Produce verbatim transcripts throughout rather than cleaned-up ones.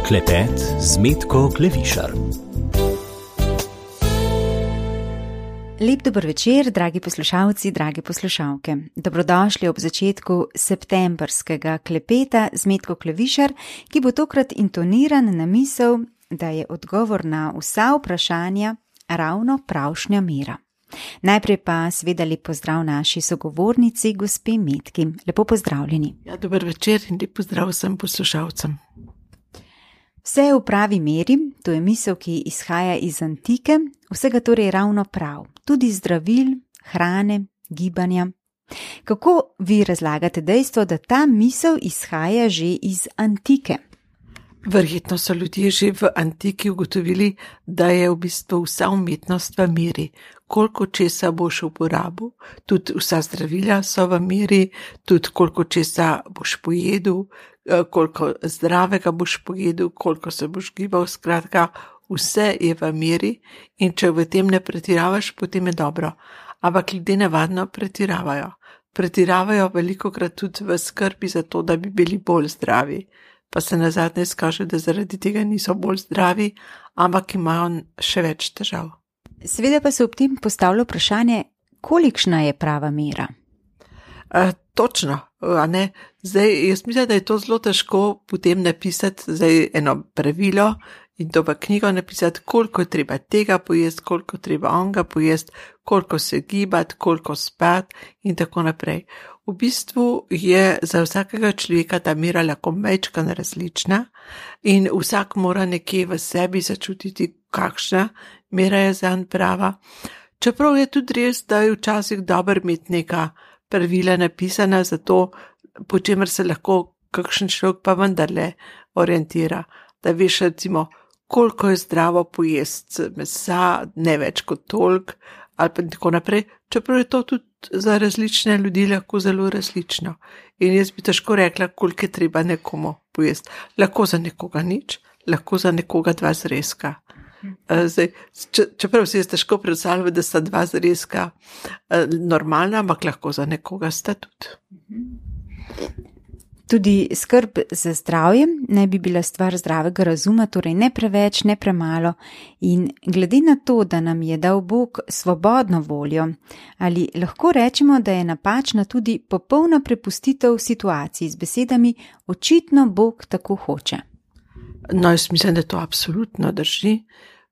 Klepet z Metko Klevišar. Lep dober večer, dragi poslušalci, dragi poslušalke. Dobrodošli ob začetku septembrskega klepeta z Metko Klevišar, ki bo tokrat intoniran na misel, da je odgovor na vsa vprašanja ravno pravšnja mera. Najprej pa seveda lep pozdrav naši sogovornici, gospe Metki. Lepo pozdravljeni. Ja, dober večer in lep pozdrav vsem poslušalcem. Vse je v pravi meri, to je misel, ki izhaja iz antike, vsega torej ravno prav, tudi zdravil, hrane, gibanja. Kako vi razlagate dejstvo, da ta misel izhaja že iz antike? Verjetno so ljudje že v antiki ugotovili, da je v bistvu vsa umetnost v meri. Koliko česa boš uporabil, tudi vsa zdravila so v meri, tudi koliko česa boš pojedel, koliko zdravega boš pojedel, koliko se boš gibal, skratka, vse je v meri in če v tem ne pretiravaš, potem je dobro. Ampak ljudje navadno pretiravajo. Pretiravajo velikokrat tudi v skrbi za to, da bi bili bolj zdravi. Pa se nazadnje izkaže, da zaradi tega niso bolj zdravi, ampak imajo še več težav. Seveda pa se ob tem postavlja vprašanje, kolikšna je prava mera? E, točno, a ne? Zdaj, jaz mislim, da je to zelo težko potem napisati zdaj eno pravilo in to v knjigo napisati, koliko je treba tega pojesti, koliko je treba onga pojesti, koliko se gibati, koliko spati in tako naprej. V bistvu je za vsakega človeka ta mera lahko majčkeno različna in vsak mora nekje v sebi začutiti, kakšna mera je zanj prava. Čeprav je tudi res, da je včasih dobro imeti neka pravila napisana za to, po čemer se lahko kakšen človek pa vendarle orientira. Da veš recimo, koliko je zdravo pojesti mesa, ne več kot toliko ali pa tako naprej. Čeprav je to tudi za različne ljudi lahko zelo različno. In jaz bi težko rekla, koliko je treba nekomu pojesti. Lahko za nekoga nič, lahko za nekoga dva zrezka. Zdaj, čeprav si jaz težko predstavljam, da sta dva zrezka normalna, ampak lahko za nekoga sta tudi. Tudi skrb za zdravje naj bi bila stvar zdravega razuma, torej ne preveč, ne premalo. In glede na to, da nam je dal Bog svobodno voljo, ali lahko rečemo, da je napačna tudi popolna prepustitev situaciji z besedami, očitno Bog tako hoče? No, jaz mislim, da to absolutno drži.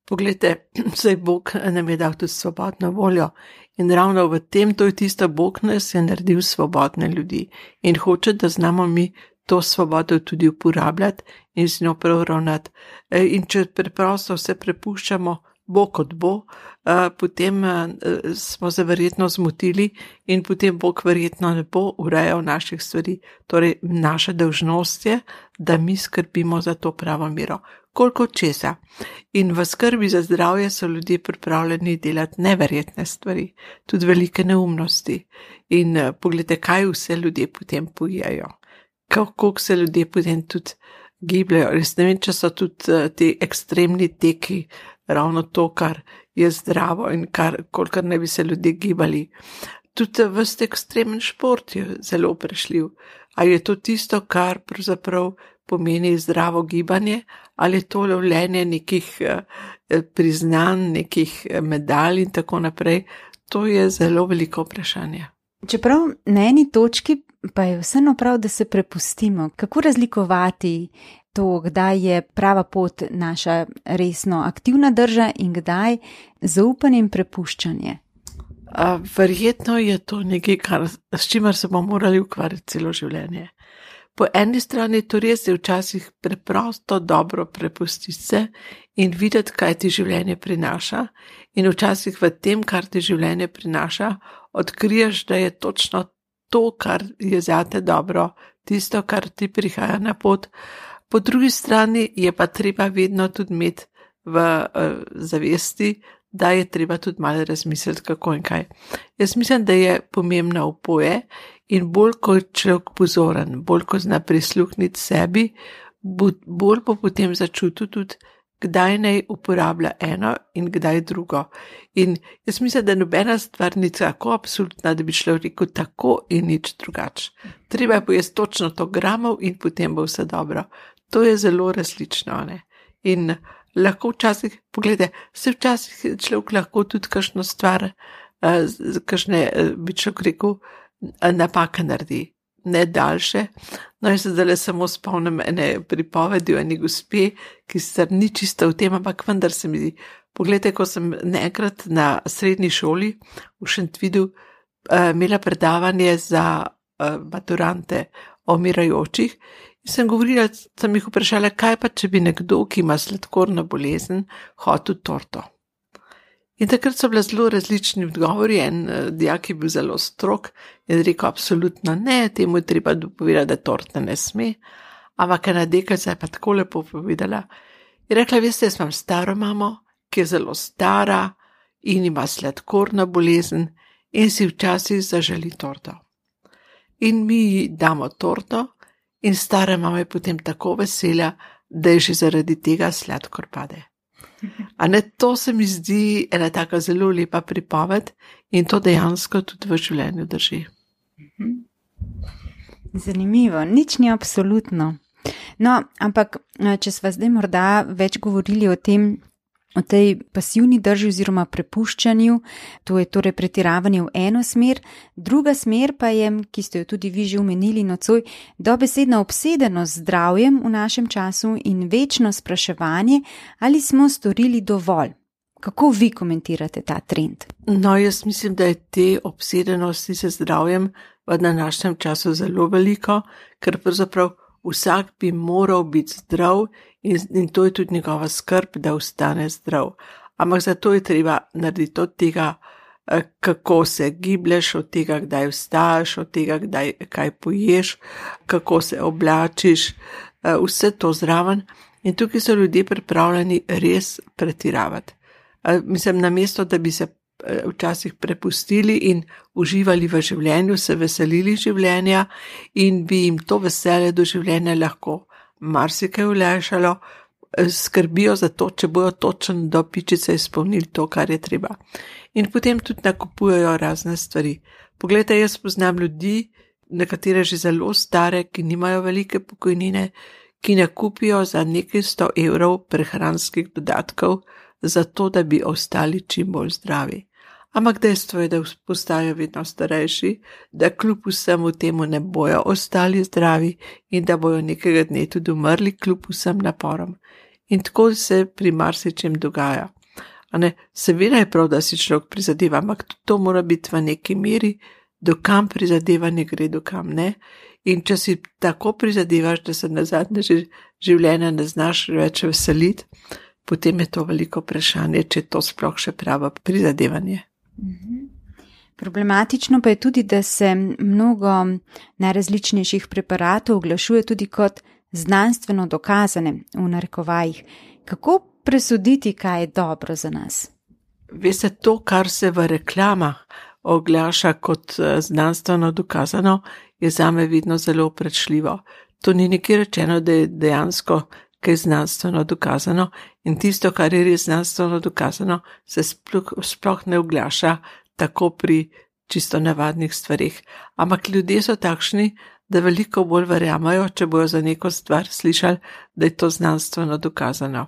Poglejte, zdaj Bog nam je dal tudi svobodno voljo in ravno v tem, to je tisto, Bog nas je naredil svobodne ljudi in hoče, da znamo mi to svobodo tudi uporabljati in z njo prav ravnati. In če preprosto vse prepuščamo Bog kot bo, potem smo se verjetno zmotili in potem Bog verjetno ne bo urejal naših stvari. Torej, naša dolžnost je, da mi skrbimo za to pravo mero. Koliko česa. In v skrbi za zdravje so ljudje pripravljeni delati neverjetne stvari, tudi velike neumnosti. In pogledajte, kaj vse ljudje potem pojejo. Kako se ljudje potem tudi gibljajo. Res ne vem, če so tudi ti ekstremni teki ravno to, kar je zdravo in kar, kolikor ne bi se ljudje gibali. Tudi vst ekstremen šport je zelo prešljiv. A je to tisto, kar pravzaprav pomeni zdravo gibanje, ali je to lovljenje nekih eh, priznanj, nekih medalj in tako naprej, to je zelo veliko vprašanje. Čeprav na eni točki pa je vseeno prav, da se prepustimo. Kako razlikovati to, kdaj je prava pot naša resno aktivna drža in kdaj zaupanje in prepuščanje? A, verjetno je to nekaj, kar, s čimer se bomo morali ukvarjati celo življenje. Po eni strani to res je včasih preprosto dobro prepustiti se in videti, kaj ti življenje prinaša, in včasih v tem, kar ti življenje prinaša, odkriješ, da je točno to, kar je zate dobro, tisto, kar ti prihaja na pot. Po drugi strani je pa treba vedno tudi imeti v uh, zavesti, da je treba tudi malo razmisliti, kako in kaj. Jaz mislim, da je pomembno oboje in bolj kot človek pozoren, bolj ko zna prisluhniti sebi, bolj bo potem začutil tudi, kdaj naj uporablja eno in kdaj drugo. In jaz mislim, da nobena stvar ni tako absolutna, da bi človek rekel tako in nič drugače. Treba je pojesti točno to gramov in potem bo vse dobro. to je zelo različno, ne. In lahko včasih, pogledaj, se včasih človek lahko tudi kakšno stvar, kakšne, bi človek rekel, napake naredi, ne daljše. No, jaz se zdaj samo spomnim ene pripovedi o eni gospe, ki se ni čisto v tem, ampak vendar se mi zdi. Pogledaj, ko sem nekrat na srednji šoli v Šentvidu imela predavanje za maturante o umirajočih in sem govorila, sem jih vprašala, kaj pa, če bi nekdo, ki ima sladkorno bolezen, hotel torto. In takrat so bile zelo različni odgovori, en dijak je bil zelo strog in rekel, absolutno ne, temu je treba dopovedati, da torte ne sme, ampak ena deklica je pa tako lepo povedala. Je rekla, veste, jaz imam staro mamo, ki je zelo stara in ima sladkorno bolezen in si včasih zaželi torto. In mi ji damo torto in stara mama je potem tako vesela, da je že zaradi tega sladkor pade. A ne, to se mi zdi ena taka zelo lepa pripoved in to dejansko tudi v življenju drži. Zanimivo, nič ni absolutno. No, ampak če sva zdaj morda več govorili o tem, o tej pasivni drži oziroma prepuščanju, to je torej pretiravanje v eno smer, druga smer pa je, ki ste jo tudi vi že omenili nocoj, dobesedna obsedenost z zdravjem v našem času in večno spraševanje, ali smo storili dovolj. Kako vi komentirate ta trend? No, jaz mislim, da je te obsedenosti z zdravjem v današnjem času zelo veliko, ker pravzaprav vsak bi moral biti zdrav in, in to je tudi njegova skrb, da ostane zdrav. Ampak zato je treba narediti od tega, kako se giblješ, od tega, kdaj vstaješ, od tega, kdaj, kaj poješ, kako se oblačiš, vse to zraven. In tukaj so ljudje pripravljeni res pretiravati. Mislim, namesto, da bi se včasih prepustili in uživali v življenju, se veselili življenja in bi jim to veselje do življenja lahko marsikaj olajšalo, skrbijo za to, če bojo točno do pičice izpolnili to, kar je treba. In potem tudi nakupujejo razne stvari. Poglejte, jaz poznam ljudi, nekatere že zelo stare, ki nimajo velike pokojnine, ki nakupijo za nekaj sto evrov prehranskih dodatkov, zato da bi ostali čim bolj zdravi. Ampak dejstvo je, da postajajo vedno starejši, da kljub vsemu temu ne bojo ostali zdravi in da bojo nekega dne tudi umrli kljub vsem naporom. In tako se pri marsičem dogaja. A ne, seveda je prav, da si človek prizadeva, ampak to mora biti v neki meri, dokam prizadevanje gre, dokam ne. In če si tako prizadevaš, da se nazadnje življenja ne znaš več veseliti, potem je to veliko vprašanje, če to sploh še pravo prizadevanje. Problematično pa je tudi, da se mnogo najrazličnejših preparatov oglašuje tudi kot znanstveno dokazane, v narekovajih. Kako presoditi, kaj je dobro za nas? Veste, to, kar se v reklamah oglaša kot znanstveno dokazano, je zame vedno zelo vprašljivo. To ni nikjer rečeno, da je dejansko kaj znanstveno dokazano in tisto, kar je res znanstveno dokazano, se sploh, sploh ne oglaša tako pri čisto navadnih stvarih. Ampak ljudje so takšni, da veliko bolj verjamajo, če bojo za neko stvar slišali, da je to znanstveno dokazano.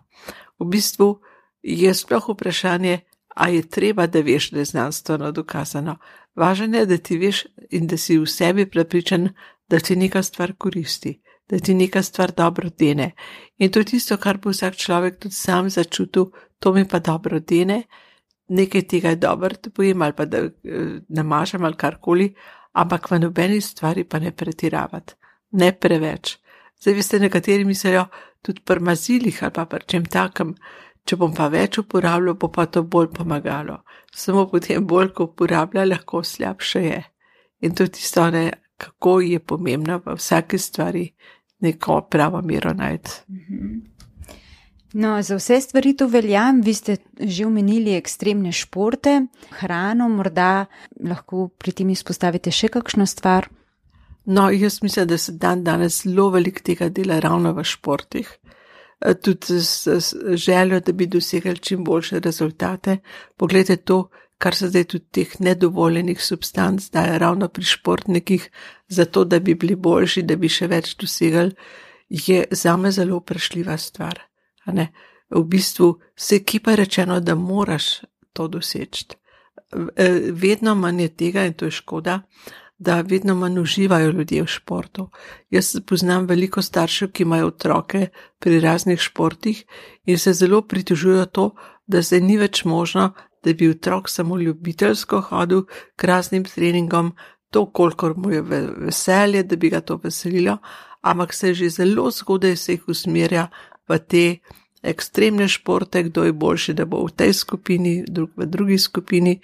V bistvu je sploh vprašanje, a je treba, da veš, da je znanstveno dokazano. Važno je, da ti veš in da si v sebi prepričan, da ti neka stvar koristi, da ti neka stvar dobro dene. In to je tisto, kar bo vsak človek tudi sam začutil, to mi pa dobro dene, nekaj tega je dobro, da pojem ali pa da namažem ali karkoli, ampak v nobeni stvari pa ne pretiravati, ne preveč. Zdaj veste, nekateri mislijo tudi pri mazilih ali pa pri čem takem, če bom pa več uporabljal, bo pa to bolj pomagalo. Samo potem bolj, ko uporablja, lahko slabše je. In to je tisto, ne, kako je pomembno v vsaki stvari neko pravo mero najti. No, za vse stvari to velja, vi ste že omenili ekstremne športe, hrano, morda lahko pri tem izpostavite še kakšno stvar? No, jaz mislim, da se dan danes zelo veliko tega dela ravno v športih. Tudi z željo, da bi dosegali čim boljše rezultate. Poglejte to, kar se zdaj tudi teh nedovoljenih substanc daje ravno pri športnikih, zato da bi bili boljši, da bi še več dosegali. je zame zelo prešljiva stvar. A ne? V bistvu se ki pa je rečeno, da moraš to doseči. Vedno manj je tega in to je škoda, da vedno manj uživajo ljudje v športu. Jaz poznam veliko staršev, ki imajo otroke pri raznih športih in se zelo pritožujejo to, da zdaj ni več možno, da bi otrok samo ljubiteljsko hodil k raznim treningom, to kolikor mu je veselje, da bi ga to veselilo, ampak se že zelo zgodaj se jih usmerja v te ekstremne športe, kdo je boljši, da bo v tej skupini, drug v drugi skupini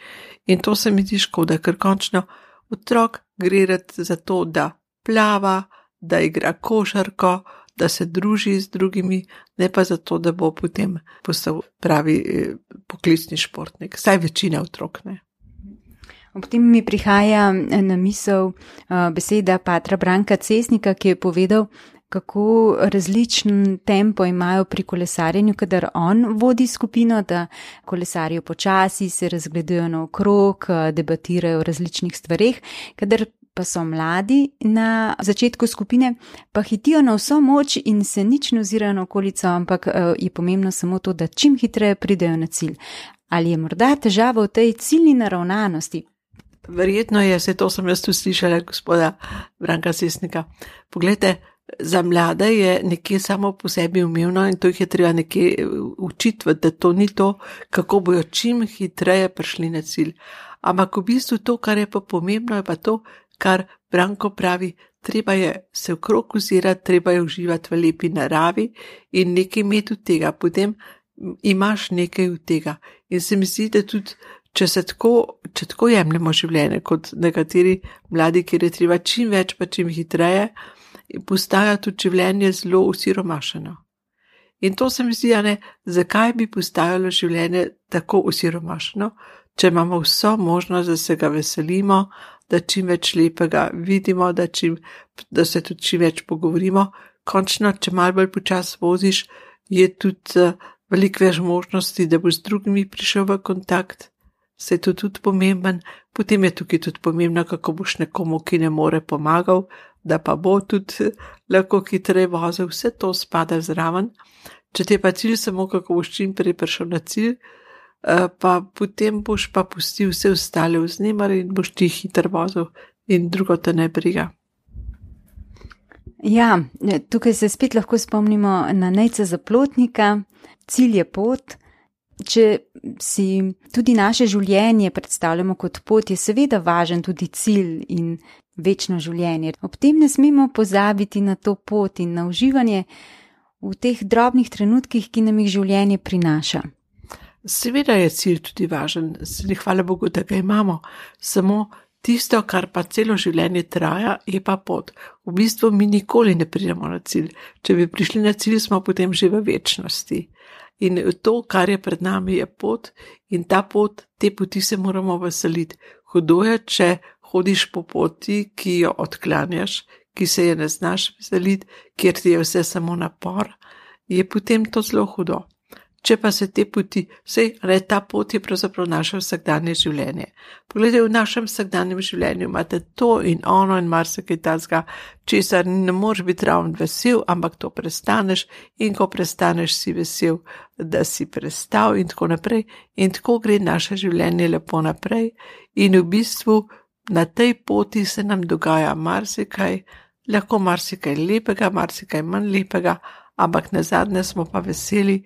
in to se mi zdi škoda, ker končno otrok gre za to, da plava, da igra košarko, da se druži z drugimi, ne pa zato, da bo potem postal pravi poklicni športnik. Saj večina otrok ne. Ob tem mi prihaja na misel beseda patra Branka Cesnika, ki je povedal, kako različen tempo imajo pri kolesarjenju, kadar on vodi skupino, da kolesarijo počasi, se razgledujejo naokrog, debatirajo o različnih stvareh, kadar pa so mladi na začetku skupine, pa hitijo na vso moč in se nič ne ozirajo na okolico, ampak je pomembno samo to, da čim hitreje pridejo na cilj. Ali je morda težava v tej ciljni naravnanosti? Verjetno je, se to sem jaz tu slišala gospoda Branka Cesnika. Poglejte, za mlade je nekje samo po sebi umevno in to jih je treba nekje učiti, da to ni to, kako bojo čim hitreje prišli na cilj. Ampak v bistvu to, kar je pa pomembno, je pa to, kar Branko pravi, treba je se okrog ozirati, treba je uživati v lepi naravi in nekaj imeti od tega, potem imaš nekaj od tega. In se mi zdi, da tudi, če se tako, če tako jemljemo življenje kot nekateri mladi, kjer je treba čim več pa čim hitreje, postaja tudi življenje zelo osiromašeno. In to se mi zdi, ne, zakaj bi postajalo življenje tako osiromašeno, če imamo vso možnost, da se ga veselimo, da čim več lepega vidimo, da, čim, da se tudi čim več pogovorimo. Končno, če malo bolj počas voziš, je tudi uh, veliko več možnosti, da boš z drugimi prišel v kontakt. Se je to tudi pomemben. Potem je tukaj tudi pomembno, kako boš nekomu, ki ne more, pomagal, da pa bo tudi lahko hitreje vozil. Vse to spada zraven. Če te pa cilj samo, kako boš čim prej prišel na cilj, pa potem boš pa pustil vse ostale vznemare in boš ti hitro vozil in drugo te ne briga. Ja, tukaj se spet lahko spomnimo na Nejca Zaplotnika, cilj je pot. Če si tudi naše življenje predstavljamo kot pot, je seveda važen tudi cilj in večno življenje. Ob tem ne smemo pozabiti na to pot in na uživanje v teh drobnih trenutkih, ki nam jih življenje prinaša. Seveda je cilj tudi važen, hvala Bogu, da ga imamo, samo tisto, kar pa celo življenje traja, je pa pot. V bistvu mi nikoli ne pridemo na cilj. Če bi prišli na cilj, smo potem že v večnosti. In to, kar je pred nami, je pot in ta pot, te poti se moramo veseliti. Hudo je, če hodiš po poti, ki jo odklanjaš, ki se je ne znaš veseliti, kjer ti je vse samo napor, je potem to zelo hudo. Če pa se te poti, sej, ne, ta pot je pravzaprav naše vsakdanje življenje. Poglejte, v našem vsakdanjem življenju imate to in ono in marsikaj tazga, česar ne moreš biti ravno vesel, ampak to prestaneš in ko prestaneš si vesel, da si prestal in tako naprej. In tako gre naše življenje lepo naprej in v bistvu na tej poti se nam dogaja marsikaj, lahko marsikaj lepega, marsikaj manj lepega, ampak nazadnje smo pa veseli,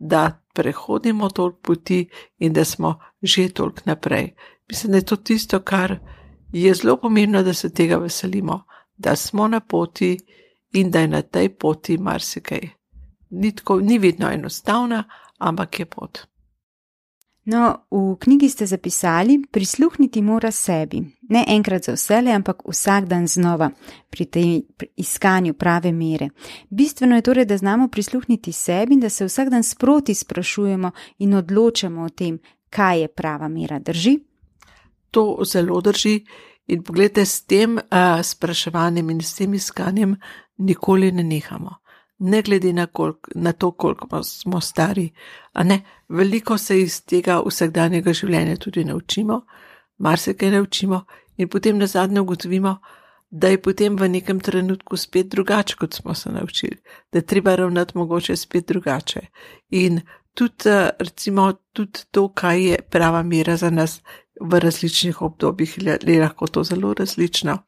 da prehodimo toliko poti in da smo že toliko naprej. Mislim, da je to tisto, kar je zelo pomembno, da se tega veselimo, da smo na poti in da je na tej poti marsikaj. Ni, tako, ni vedno enostavna, ampak je pot. No, v knjigi ste zapisali, prisluhniti mora sebi. Ne enkrat za vsele, ampak vsak dan znova pri tej iskanju prave mere. Bistveno je torej, da znamo prisluhniti sebi in da se vsak dan sproti sprašujemo in odločamo o tem, kaj je prava mera. Drži? To zelo drži in pogledajte, s tem uh, spraševanjem in s tem iskanjem nikoli ne nehamo. Ne glede na, kolik, na to, koliko smo stari, a ne, veliko se iz tega vsakdanjega življenja tudi naučimo, marsikaj naučimo in potem nazadnje ugotovimo, da je potem v nekem trenutku spet drugače, kot smo se naučili, da je treba ravnati mogoče spet drugače. In tudi, recimo, tudi to, kaj je prava mera za nas v različnih obdobjih, je lahko to zelo različno.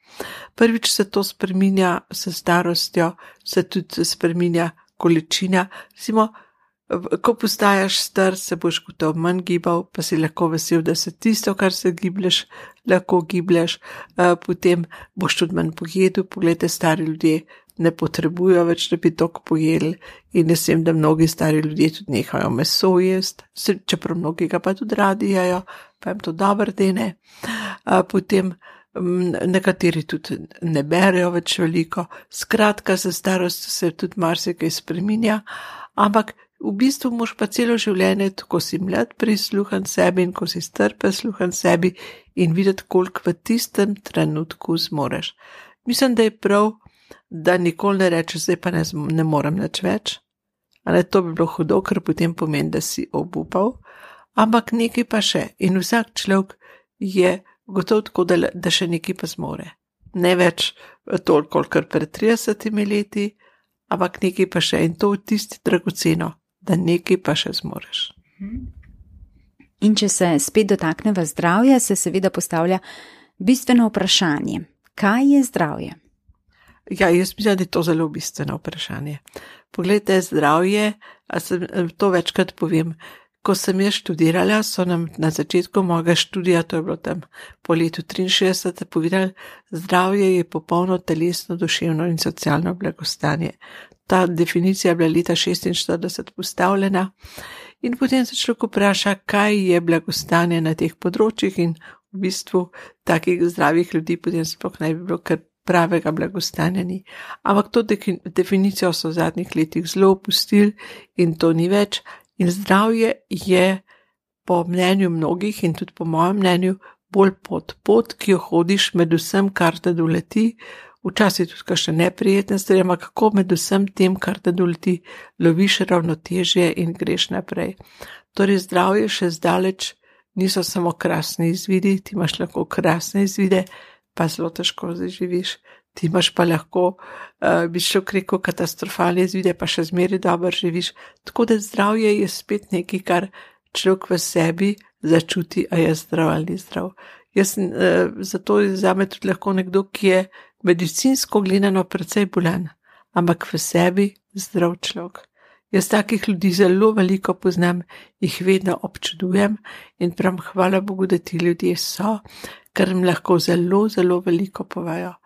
Prvič se to spreminja s starostjo, se tudi spreminja količina. Recimo, ko postajaš star, se boš gotovo manj gibal, pa si lahko vesel, da se tisto, kar se giblješ, lahko giblješ, potem boš tudi manj pojedel. Poglejte, stari ljudje ne potrebujo več, da bi toliko pojedli, in jaz vem, da mnogi stari ljudje tudi nehajo meso jesti, čeprav mnogi ga pa tudi radi jejo, pa jim to dobro dene. Potem nekateri tudi ne berejo več veliko. Skratka, za starost se tudi marsikaj spreminja, ampak v bistvu moš pa celo življenje, ko si mlad, prisluhan sebi, in ko si star, prisluhan sebi in videti, koliko v tistem trenutku zmoreš. Mislim, da je prav, da nikoli ne rečeš, zdaj pa ne, ne morem nič več. Ali to bi bilo hudo, ker potem pomeni, da si obupal, ampak nekaj pa še. In vsak človek je gotovo tako, da, da še nekaj pa zmore. Ne več toliko, kot pred tridesetimi leti, ampak nekaj pa še, in to v tisti dragoceno, da nekaj pa še zmoreš. In če se spet dotakneva zdravja, se seveda postavlja bistveno vprašanje. Kaj je zdravje? Ja, jaz mislim, da je to zelo bistveno vprašanje. Poglejte, zdravje, a sem, to večkrat povem, ko sem jaz študirala, so nam na začetku mojega študija, to je bilo tam po letu triinšestdeset, povedali, zdravje je popolno telesno, duševno in socialno blagostanje. Ta definicija je bila leta šestinštirideset postavljena in potem se človek vpraša, kaj je blagostanje na teh področjih, in v bistvu takih zdravih ljudi potem sploh ne bi bilo, ker pravega blagostanja ni. Ampak to definicijo so v zadnjih letih zelo opustili in to ni več. In zdravje je po mnenju mnogih in tudi po mojem mnenju bolj pot, pot, ki jo hodiš med vsem, kar te doleti, včasih tudi kakšne neprijetne stvari, ampak kako med vsem tem, kar te doleti, loviš ravnotežje in greš naprej. Torej zdravje še zdaleč niso samo krasni izvidi, ti imaš lahko krasne izvide, pa zelo težko zaživiš. Ti imaš pa lahko, uh, bi šel rekel, katastrofalne izvide, pa še zmeraj dobro živiš. Tako da zdravje je spet nekaj, kar človek v sebi začuti, a je zdrav ali ni zdrav. Jaz, uh, zato je zame tudi lahko nekdo, ki je medicinsko gledano precej bolan, ampak v sebi zdrav človek. Jaz takih ljudi zelo veliko poznam, jih vedno občudujem in pravim, hvala Bogu, da ti ljudje so, ker jim lahko zelo, zelo veliko povejo.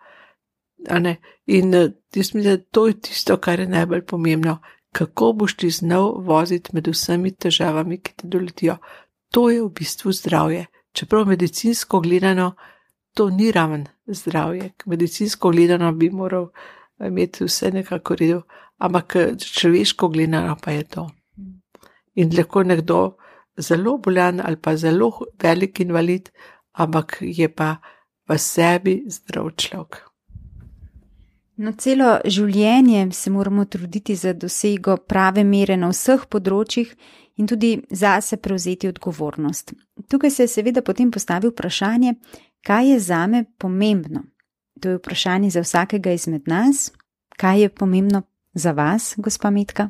In jaz mislim, da to je tisto, kar je najbolj pomembno, kako boš ti znal voziti med vsemi težavami, ki te doletijo. To je v bistvu zdravje. Čeprav medicinsko gledano, to ni raven zdravje. Medicinsko gledano bi moral imeti vse nekako redu, ampak človeško gledano pa je to. In lahko nekdo zelo bolan ali pa zelo velik invalid, ampak je pa v sebi zdrav človek. No, celo življenje se moramo truditi za dosego prave mere na vseh področjih in tudi zase prevzeti odgovornost. Tukaj se je seveda potem postavil vprašanje, kaj je zame pomembno. To je vprašanje za vsakega izmed nas. Kaj je pomembno za vas, gospa Metka?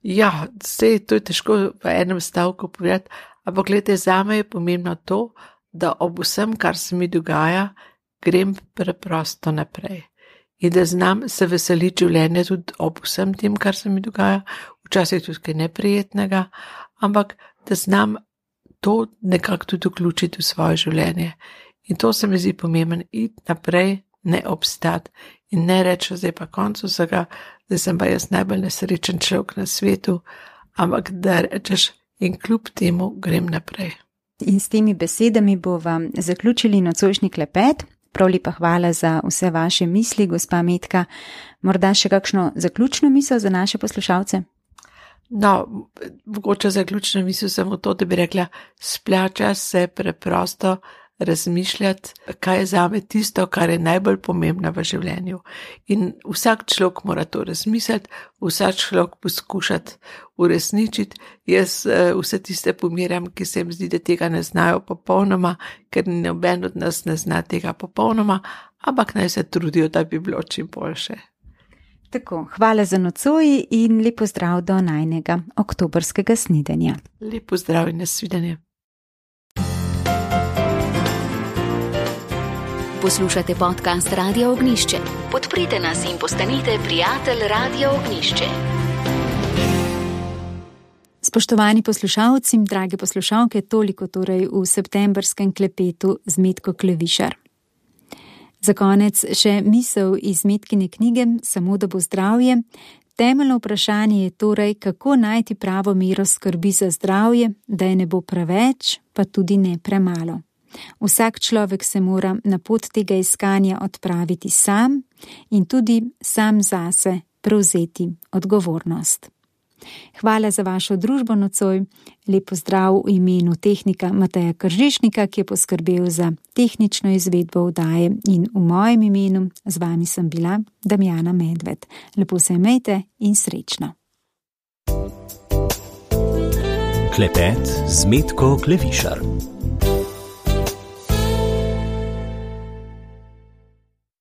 Ja, sej, to je težko v enem stavku povedati, ampak gledajte, zame je pomembno to, da ob vsem, kar se mi dogaja, grem preprosto naprej. In da znam se veseliti življenje tudi ob vsem tem, kar se mi dogaja, včasih tudi kaj neprijetnega, ampak da znam to nekako tudi vključiti v svoje življenje. In to se mi zdi pomembno, iti naprej, ne obstati in ne reči, zdaj pa konc vsega, zdaj sem pa jaz najbolj nesrečen človek na svetu, ampak da rečeš in kljub temu grem naprej. In s temi besedami bo vam zaključili nocojšnji klepet. Prav lepa hvala za vse vaše misli, gospa Metka. Morda še kakšno zaključno misel za naše poslušalce? No, mogoče zaključno misel samo to, da bi rekla, splača se preprosto razmišljati, kaj je zame tisto, kar je najbolj pomembno v življenju. In vsak človek mora to razmisliti, vsak človek poskušati uresničiti. Jaz vse tiste pomirjam, ki se jim zdi, da tega ne znajo popolnoma, ker noben od nas ne zna tega popolnoma, ampak naj se trudijo, da bi bilo čim boljše. Tako, hvala za nocoj in lep pozdrav do najnega oktobrskega snidenja. Lep pozdrav in nasvidenje. Poslušate podcast Radio Ognjišče. Podprite nas in postanite prijatelj Radio Ognjišče. Spoštovani poslušalci, drage poslušalke, toliko torej v septembrskem klepetu z Metko Klevišar. Za konec še misel iz Metkine knjige Samo da bo zdravje. Temeljno vprašanje je torej, kako najti pravo mero skrbi za zdravje, da je ne bo preveč, pa tudi ne premalo. Vsak človek se mora na pot tega iskanja odpraviti sam in tudi sam zase prevzeti odgovornost. Hvala za vašo družbo nocoj, lep pozdrav v imenu tehnika Mateja Kržišnika, ki je poskrbel za tehnično izvedbo oddaje, in v mojem imenu z vami sem bila Damjana Medved. Lepo se imejte in srečno. Klepet z Metko Klevišar.